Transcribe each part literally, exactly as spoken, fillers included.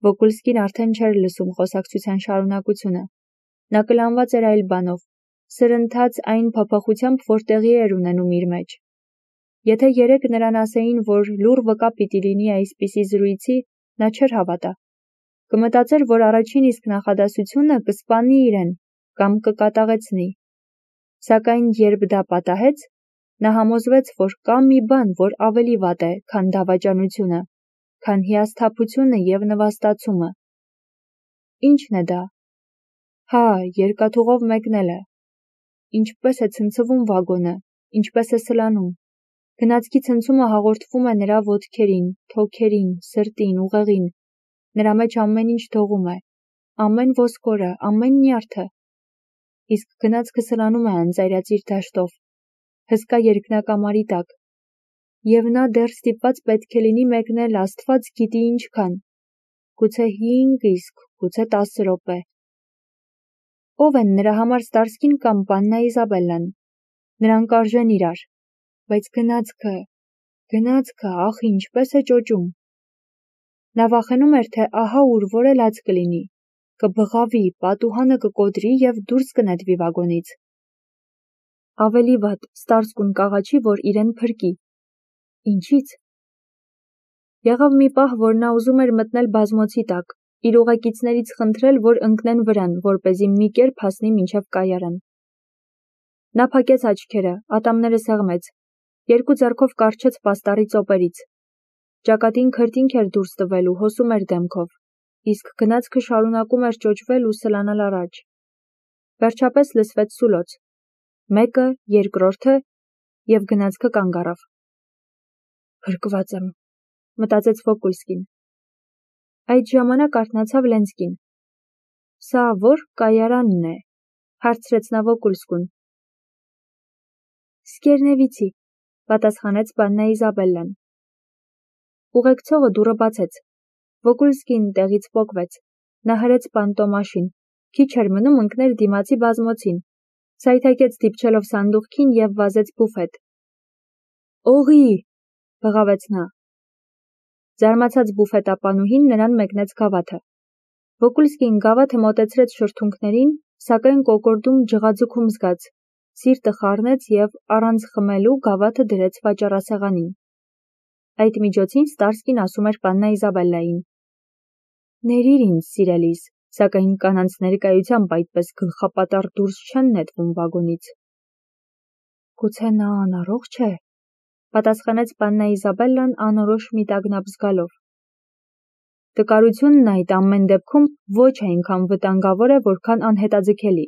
Վոկուլսկին արդեն չէր լսում խոսակցության շարունակությունը։ Նա կլանված էր այլ բանով, սրընթաց այն փոփոխությամբ, որ տեղի էր ունենում իր մեջ։ Եթե երեկ նրան ասեին, որ լուռ վկա պիտի լինի այսպիսի զրույցի, նա չէր հավատա։ Կմտածեր, որ առաջին իսկ նախադասությունը կսպանի իրեն կամ կկատաղեցնի։ Սակայն երբ դա պատահեց, նա համոզվեց, որ կա մի բան, որ ավելի վատ է, քան դավաճանությունը, քան հիասթափությունը և նվաստացումը։ Ի՞նչն է դա։ Հա, երկաթուղով մեկնելը։ Ինչպես է ցնցվում վագոնը, ինչպես է սլանում։ Գնացքի ցնցումը հաղորդվում է նրա ոտքերին, թոքերին, սրտին, ուղեղին։ Նրա մեջ ամեն ինչ դողում է, ամեն ոսկորը, ամեն նյարդը։ Իսկ գնացքը սլանում է անծայրածիր դաշտով, հսկա երկնակամարի տակ։ Եվ նա դեռ ստիպված պետք է լինի մեկնել Աստված գիտի ինչքան, գուցե հինգ իսկ, գուցե տասը րոպե։ Ո՞վ են նրա համար Ստարսկին կամ պաննա Իզաբելլան։ Նրանք արժեն իրար, բայց գնացքը, գնացքը, ախ, ինչպես է ճոճում։ Նա վախենում էր, թե ահա ուր որ էլ ած կլինի, կբղավի, պատուհանը կկոտրի և դուրս կնետվի վագոնից։ Ավելի վատ, Ստարսկուն կաղաչի, որ իրեն փրկի։ Ինչից։ Եղավ մի պահ, որ նա ուզում էր մտնել բազմոցի տակ, իր ուղեկիցներից խնդրել, որ ընկնեն վրան, որպեսզի մի կերպ հասնի մինչև կայարան։ Նա փակեց աչքերը, ատամները սեղմեց, երկու ձեռքով կառչեց պաստառի ծոպերից։ Ճակատին քրտինք էր դուրս տվելու, հոսում էր դեմքով, իսկ գնացքը շարունակում էր ճոճվել ու սլանալ առաջ։ Վերջապես լսվեց սուլոց։ Մեկը, երկրորդը, և գնացքը կանգ առավ։ Փրկված եմ, մտածեց Վոկուլսկին։ Այդ ժամանակ արթնացավ Լենսկին։ Սա ո՞ր կայարանն է, հարցրեց նա Վոկուլսկուն։ Սկերնևիցի, պատասխանեց պաննա Իզաբելլան։ Ուղեկցողը դուռը բացեց։ Վոկուլսկին տեղից պոկվեց։ Նա հրեց պանտոմաշին, քիչ էր մնում ընկներ դիմացի բազմոցին, սայթաքեց դիպչելով սանդուղքին և վազեց բուֆետ։ Օղի, բղավեց նա։ Զարմացած բուֆետապանուհին նրան մեկնեց գավաթը։ Վոկուլսկին գավաթը մոտեցրեց շրթունքներին, սակայն կոկորդում ջղաձգում զգաց, սիրտը խառնեց և առանց խմելու գավաթը դրեց վաճառասեղանին։ Այդ միջոցին Ստարսկին ասում էր պաննա Իզաբելլային. Ներիր ինձ, սիրելիս, սակայն կանանց ներկայությամբ այդպես գլխապատառ դուրս չեն նետվում վագոնից։ Գուցե նա անառողջ է, պատասխանեց պաննա Իզաբելլան անորոշ մի տագնապ զգալով։ Տկարությունն այդ ամեն դեպքում ոչ այնքան վտանգավոր է, որքան անհետաձգելի։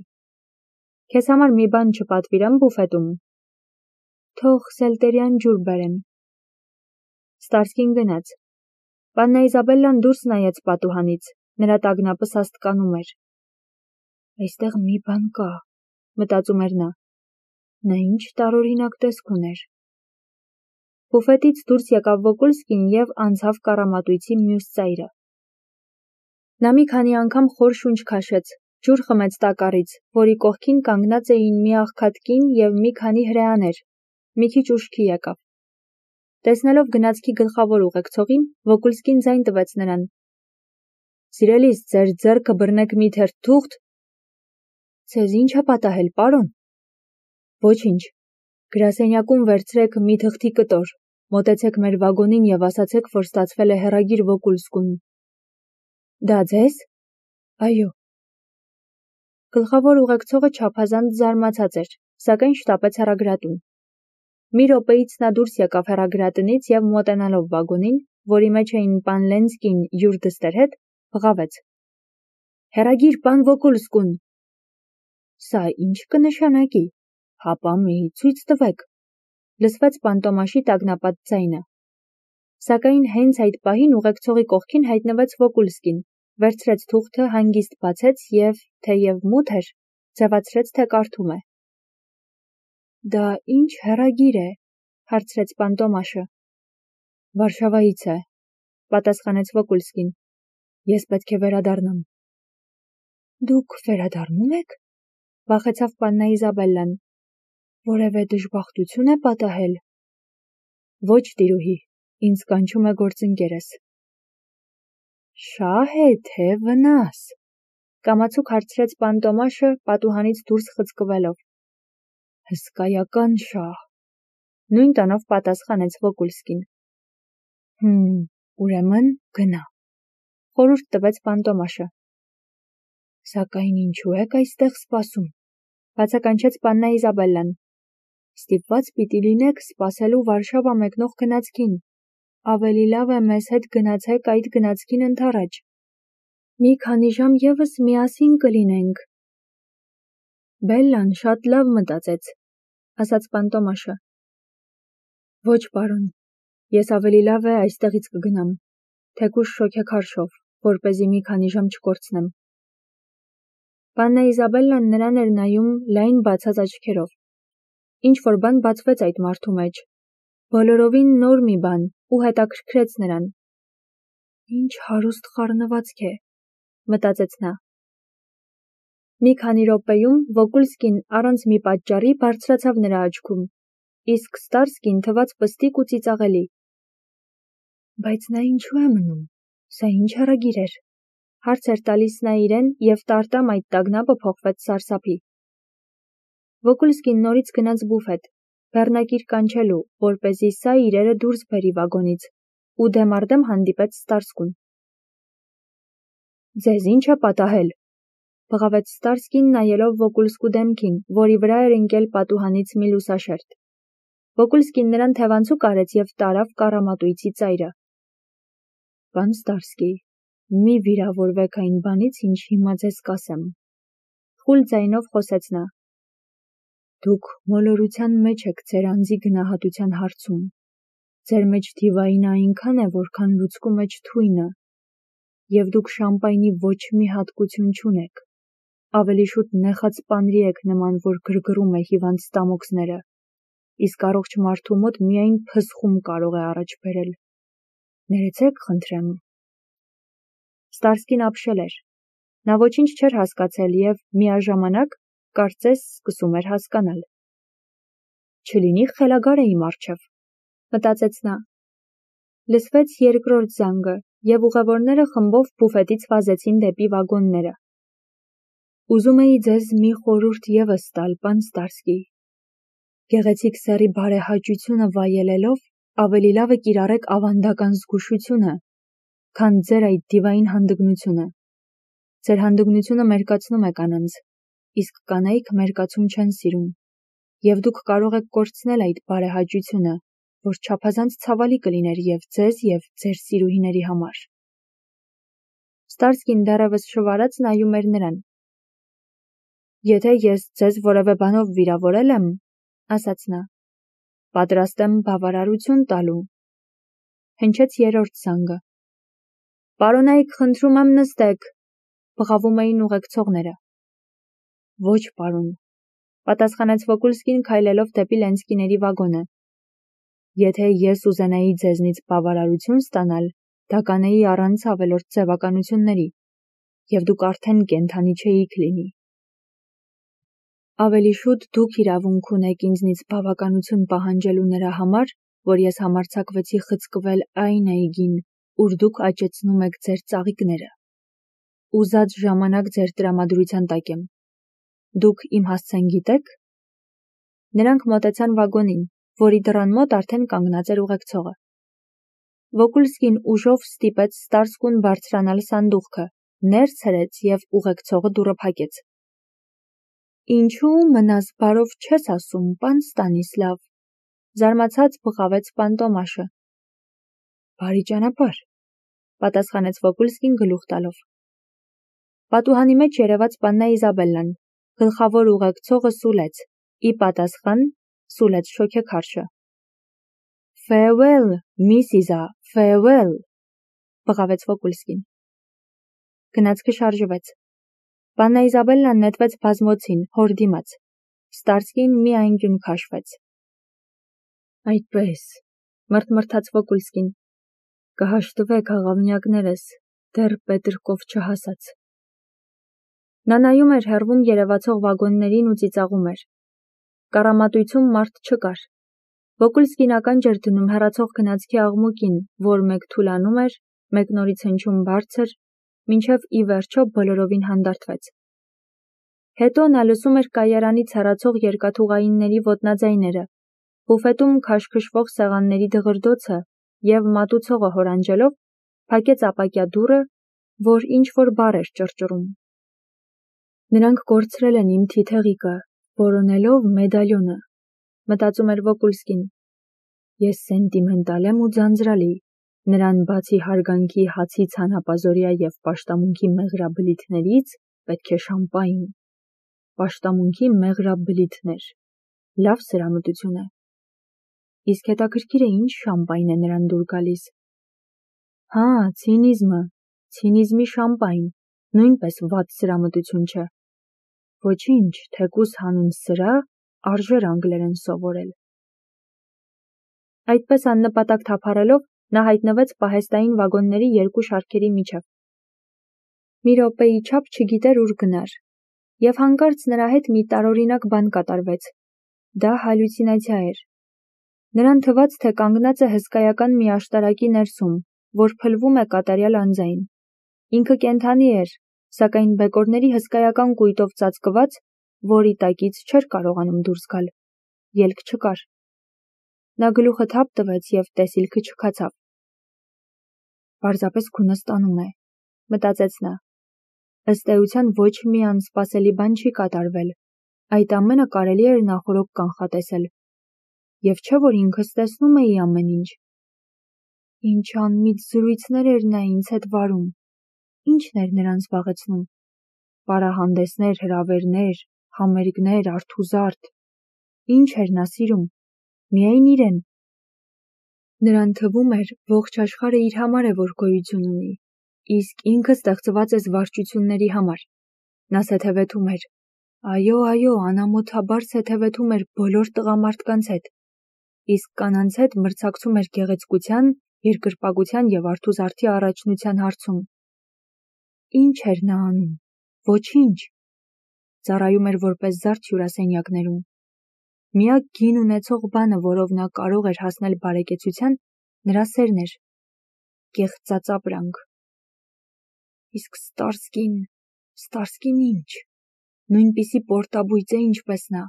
Քեզ համար մի բան չպատվիրեմ բուֆետում։ Թող սելտերյան ջուր բերեմ։ Ստարսկին գնաց։ Պաննա Իզաբելլան դուրս նայեց պատուհանից, նրա տագնապը սաստկանում էր։ Այստեղ մի բան կա, մտածում էր նա։ Նա ինչ տարօրինակ տեսք ուներ։ Բուֆետից դուրս եկավ Վոկուլսկին և անցավ կառամատույցի մյուս ծայրը։ Նա մի քանի անգամ խոր շունչ քաշեց, ջուր խմեց տակառից, որի կողքին կանգնած էին մի աղքատ կին և մի քանի հրեաներ, մի քիչ ուշքի եկավ։ Տեսնելով գնացքի գլխավոր ուղեկցողին, Վոկուլսկին ձայն տվեց նրան։ Սիրելիս, ձեր ձեռքը բռնեք մի թերթ թուղթ։ Ձեզ ինչ է պատահել, պարոն։ Ոչինչ։ Գրասենյակում վերցրեք մի թղթի կտոր, մոտեցեք մեր վագոնին և ասացեք, որ ստացվել է հեռագիր Վոկուլսկուն։ Դա ձեզ։ Այո։ Գլխավոր ուղեկցողը չափազանց զարմացած էր, սակայն շտապեց հեռագրատուն։ Մի րոպեից նա դուրս եկավ հեռագրատնից և մոտենալով վագոնին, որի մեջ էին պան Լենսկին յուր դստեր հետ, բղավեց. Հեռագիր պան Վոկուլսկուն։ Սա ինչ կնշանակի։ Հապա մի ցույց տվեք։ Լսվեց պանտոմաշի տագնապած ձայնը։ Սակայն հենց այդ պահին ուղեկցողի կողքին հայտնվեց Վոկուլսկին, վերցրեց թուղթը, հանգիստ բացեց և, թեև մութ էր, ձևացրեց, թե կարդում է։ Դա ինչ հեռագիր է, հարցրեց պանտոմաշը։ Վարշավայից է, պատասխանեց Վոկուլսկին։ Ես պետք է վերադառնամ։ Դուք վերադառնում եք, վախեցավ պաննա Իզաբելլան։ Որևէ դժբախտություն է պատահել։ Ոչ, տիրուհի, ինձ կանչում է գործընկերս։ Շահ է թե վնաս, կամացուկ հարցրեց պան Տոմաշը պատուհանից դուրս խցկվելով։ Հսկայական շահ, նույն տոնով պատասխանեց Վոկուլսկին։ Հմ, ուրեմն գնա, խորհուրդ տվեց պան Տոմաշը։ Սակայն ինչու եք այստեղ սպասում, բացականչեց պաննա Իզաբելլան։ Ստիպված պիտի լինեք սպասելու Վարշավա մեկնող գնացքին, ավելի լավ է մեզ հետ գնացեք այդ գնացքին ընդառաջ։ Մի քանի ժամ ևս միասին կլինենք։ Բելլան շատ լավ մտածեց, ասաց պան Տոմաշը։ Ոչ, պարոն, ես ավելի լավ է այստեղից կգնամ, թեկուզ շոգեքարշով, որպեսզի մի քանի ժամ չկորցնեմ։ Պաննա Իզաբելլան նրան էր նայում լայն բացած աչքերով։ Ինչ-որ բան բացվեց այդ մարդու մեջ, բոլորովին նոր մի բան, ու հետաքրքրեց նրան։ Ինչ հարուստ խառնվածք է, մտածեց նա։ Մի քանի րոպեում Վոկուլսկին առանց մի պատճառի բարձրացավ նրա աչքում, իսկ Ստարսկին թվաց պստիկ ու ծիծաղելի։ Բայց նա ինչու է մնում, սա ինչ հեռագիր էր, հարց էր տալիս նա իրեն, և տարտամ այդ տագնապը փոխվեց սարսափի։ Վոկուլսկին նորից գնաց բուֆետ, բեռնակիր կանչելու, որպեսզի սա իրերը դուրս բերի վագոնից, ու դեմառդեմ հանդիպեց Ստարսկուն։ Ձեզ ինչ է պատահել, բղավեց Ստարսկին նայելով Վոկուլսկու դեմքին, որի վրա էր ընկել պատուհանից մի լուսաշերտ։ Վոկուլսկին նրան թևանցուկ արեց և տարավ կառամատույցի ծայրը։ Պան Ստարսկի, մի վիրավորվեք այն բանից, ինչ հիմա ձեզ կասեմ, խուլ ձայնով խոսեց նա։ Դուք մոլորության մեջ եք ձեր անձի գնահատության հարցում։ Ձեր մեջ դիվայինը այնքան է, որքան լուցկու մեջ թույնը, և դուք շամպայնի ոչ մի հատկություն չունեք։ Ավելի շուտ նեխած պանրի եք նման, որ գրգռում է հիվանդ ստամոքսները, իսկ առողջ մարդու մոտ միայն փսխում կարող է առաջ բերել։ Ներեցեք, խնդրեմ։ Ստարսկին ապշել էր։ Նա ոչինչ չէր հասկացել և միաժամանակ, կարծես, սկսում էր հասկանալ։ Չլինի խելագար է իմ առջև, մտածեց նա։ Լսվեց երկրորդ զանգը, և ուղևորները խմբով բուֆետից վազեցին դեպի վագոնները։ Ուզում էի ձեզ մի խորհուրդ ևս տալ, պան Ստարսկի։ Գեղեցիկ սեռի բարեհաճությունը վայելելով, ավելի լավ է կիրառեք ավանդական զգուշությունը, քան ձեր այդ դիվային հանդգնությունը։ Ձեր հանդգնությունը մերկացնում է կանանց, իսկ կանայք մերկացում չեն սիրում, և դուք կարող եք կորցնել այդ բարեհաճությունը, որ չափազանց ցավալի կլիներ և ձեզ, և ձեր սիրուհիների համար։ Ստարսկին դեռևս շվարած նայում էր նրան։ Եթե ես ձեզ որևէ բանով վիրավորել եմ, ասաց նա, պատրաստ եմ բավարարություն տալու։ Հնչեց երրորդ զանգը։ Պարոնայք, խնդրում եմ նստեք, բղավում էին ուղեկցողները։ Ոչ, պարոն, պատասխանեց Վոկուլսկին քայլելով դեպի Լենսկիների վագոնը։ Եթե ես ուզենայի ձեզնից բավարարություն ստանալ, դա կանեի առանց ավելորդ ձևականությունների, և դուք արդեն կենդանի չէիք լինի։ Ավելի շուտ դուք իրավունք ունեք ինձնից բավականություն պահանջելու նրա համար, որ ես համարձակվեցի խցկվել այն այգին, ուր դուք աճեցնում եք ձեր ծաղիկները։ Ուզած ժամանակ ձեր տրամադրության տակ եմ։ Դուք իմ հասցեն գիտեք։ Նրանք մոտեցան վագոնին, որի դռան մոտ արդեն կանգնած էր ուղեկցողը։ Վոկուլսկին ուժով ստիպեց Ստարսկուն բարձրանալ սանդուղքը, ներս հրեց և ուղեկցողը դուռը փակեց։ Ինչու մնաս բարով չես ասում, պան Ստանիսլավ, զարմացած բղավեց պան Տոմաշը։ Բարի ճանապարհ, պատասխանեց Վոկուլսկին գլուխ տալով։ Պատուհանի մեջ երևաց պաննա Իզաբելլան, գլխավոր ուղեկցողը սուլեց, ի պատասխան սուլեց շոգեքարշը։ Farewell, Միսիզա, farewell, բղավեց Վոկուլսկին։ Գնացքը շարժվեց։ Պաննա Իզաբելլան նետվեց բազմոցին, հոր դիմաց։ Ստարսկին մի անկյուն քաշվեց։ Այդպես, մրթմրթաց Վոկուլսկին, կհաշտվեք աղավնյակներս, դեռ Պետրկով չհասած։ Նա նայում էր հեռվում երևացող վագոններին ու ծիծաղում էր։ Կառամատույցում մարդ չկար։ Վոկուլսկին ականջ էր դնում հեռացող գնացքի աղմուկին, որ մեկ թուլանում էր, մեկնորից հնչում բարձր, մինչև ի վերջո բոլորովին հանդարտվեց։ Հետո նա լսում էր կայարանի ցարացող երկաթուղայինների ոտնաձայները, բուֆետում քաշքշվող սեղանների դղրդոցը և մատուցողը հորանջելով փակեց ապակյա դուռը, որ ինչ-որ բառ էր ճռճռում։ Նրանք կորցրել են իմ թիթեղիկը, որոնելով մեդալյոնը, մտածում էր Վոկուլսկին։ Ես սենտիմենտալ եմ ու ձանձրալի, նրան բացի հարգանքի հացի ցանապազօրյա և պաշտամունքի մեղրաբլիթներից պետք է շամպայն։ Պաշտամունքի մեղրաբլիթներ, լավ սրամտություն է։ Իսկ հետաքրքիր է ինչ շամպայն է նրան դուր գալիս։ Հա, ցինիզմը, ցինիզմի շամպայն, նույնպես վատ սրամտություն չէ։ Ոչինչ, թեկուզ հանուն սրա արժեր անգլերեն սովորել։ Այդպես աննպատակ թափառելով նա հայտնվեց պահեստային վագոնների երկու շարքերի միջև։ Մի րոպեի չափ չգիտեր ուր գնար, և հանկարծ նրա հետ մի տարօրինակ բան կատարվեց։ Դա հալյուցինացիա էր։ Նրան թվաց, թե կանգնած է հսկայական մի աշտարակի ներսում, որ փլվում է կատարյալ անձայն։ Ինքը կենդանի էր, սակայն բեկորների հսկայական կույտով ծածկված, որի տակից չէր կարողանում դուրս գալ։ Ելք չկար։ Նա գլուխը թափ տվեց և տեսիլքը չքացավ։ Պարզապես քունը ստանում է, մտածեց նա։ Ըստ էության ոչ մի անսպասելի բան չի կատարվել, այդ ամենը կարելի էր նախօրոք կանխատեսել։ Եվ չէ՞ որ ինքս տեսնում էի ամեն ինչ։ Ինչ անմիտ զրույցներ էր նա ինձ հետ վարում։ Ի՞նչն էր նրան զբաղեցնում։ Պարահանդեսներ, հրավերներ, համերգներ, արթուզարդ։ Ինչ էր նա սիրում։ Միայն իրեն։ Նրան թվում էր, ողջ աշխարհը իր համար է, որ գոյություն ունի, իսկ ինքը ստեղծված է զվարճությունների համար։ Նա սեթևեթում էր։ Այո, այո, անամոթաբար սեթևեթում էր բոլոր տղամարդկանց հետ, իսկ կանանց հետ մրցակցում էր գեղեցկության, երկրպագության և արթուզարդի առաջնության հարցում։ Ինչ էր նա անում։ Ոչինչ։ Ծառայում էր որպես զարդ հյուրասենյակներում։ Միակ գին ունեցող բանը, որով նա կարող էր հասնել բարեկեցության, նրա սերն էր։ Կեղծածապրանք։ Իսկ Ստարսկին, Ստարսկին ինչ։ Նույնպիսի պորտաբույծ է, ինչպես նա։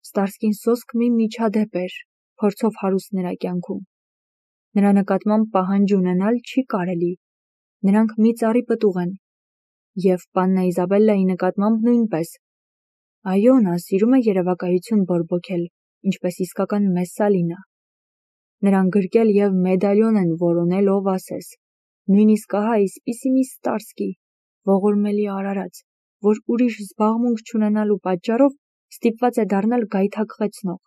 Ստարսկին սոսկ մի միջադեպ էր, փորձով հարուստ նրա կյանքում։ Նրա նկատմամբ պահանջ ունենալ չի կարելի։ Նրանք մի ծառի պտուղ են։ Եվ պաննա Իզաբելլայի նկատմամբ նույնպես։ Այո, նա սիրում է երևակայություն բորբոքել, ինչպես իսկական Մեսսալինա։ Նրան գրկել և մեդալյոն են որոնել, ով ասես։ Նույնիսկ ահա այսպիսի մի Ստարսկի, ողորմելի արարած, որ ուրիշ զբաղմունք չունենալու պատճառով ստիպված է դառնալ գայթակղեցնող։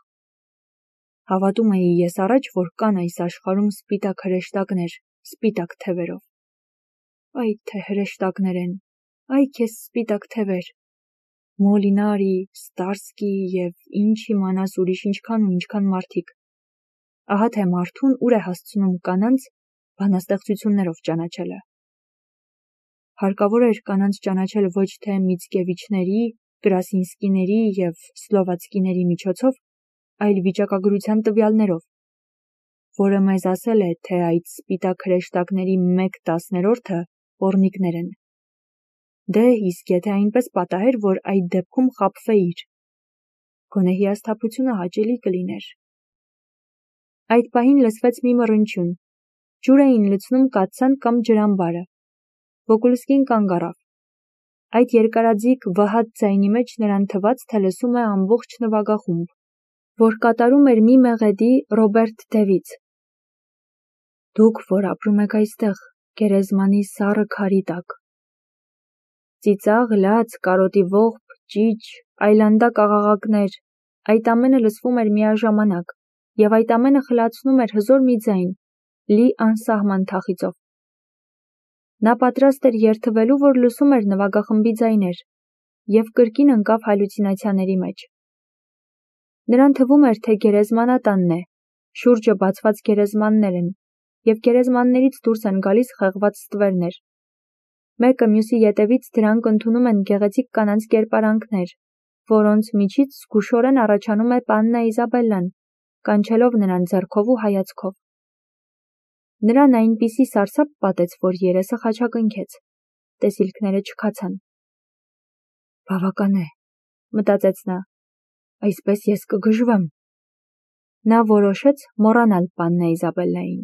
Հավատում էի ես առաջ, որ կան այս աշխարհում սպիտակ հրեշտակներ, սպիտակ թևերով։ Այ թե հրեշտակներ են, այ քեզ սպիտակ թևեր։ Մոլինարի, Ստարսկի և ինչ իմանաս ուրիշ ինչքան ու ինչքան մարդիկ։ Ահա թե մարդուն ուր է հասցնում կանանց բանաստեղծություններով ճանաչելը։ Հարկավոր էր կանանց ճանաչել ոչ թե Միցկևիչների, Կրասինսկիների և Սլովացկիների միջոցով, այլ վիճակագրության տվյալներով, որը մեզ ասել է, թե այդ սպիտակ հրեշտակների մեկ տասներորդը պոռնիկներ են։ Դե, իսկ եթե այնպես պատահեր, որ այդ դեպքում խաբվեիր, գոնե հիասթափությունը հաճելի կլիներ։ Այդ պահին լսվեց մի մռնչյուն։ Ջուր էին լցնում կաթսան կամ ջրամբարը։ Վոկուլսկին կանգ առավ։ Այդ երկարաձիգ վհատ ձայնի մեջ նրան թվաց, թե լսում է ամբողջ նվագախումբ, որ կատարում էր մի մեղեդի Ռոբերտ Դևից։ Դուք, որ ապրում եք այստեղ, գերեզմանի սառը քարի տակ։ Ծիծաղ, լաց, կարոտի ողբ, ճիչ, այլանդակ աղաղակներ, այդ ամենը լսվում էր միաժամանակ, և այդ ամենը խլացնում էր հզոր մի ձայն, լի անսահման թախիծով։ Նա պատրաստ էր երդվելու, որ լսում էր նվագախմբի ձայներ, և կրկին ընկավ հալյուցինացիաների մեջ։ Նրան թվում էր, թե գերեզմանատանն է, շուրջը բացված գերեզմաններ են, և գերեզմաններից դուրս են գալիս խեղված ստվերներ։ Մեկը մյուսի ետևից դրանք ընդունում են գեղեցիկ կանանց կերպարանքներ, որոնց միջից զգուշորեն առաջանում է պաննա Իզաբելլան, կանչելով նրան ձեռքով ու հայացքով։ Նրան այնպիսի սարսափ պատեց, որ երեսը խաչակնքեց, տեսիլքները չքացան։ Բավական է, մտածեց նա, այսպես ես կգժվեմ։ Նա որոշեց մոռանալ պաննա Իզաբելլային։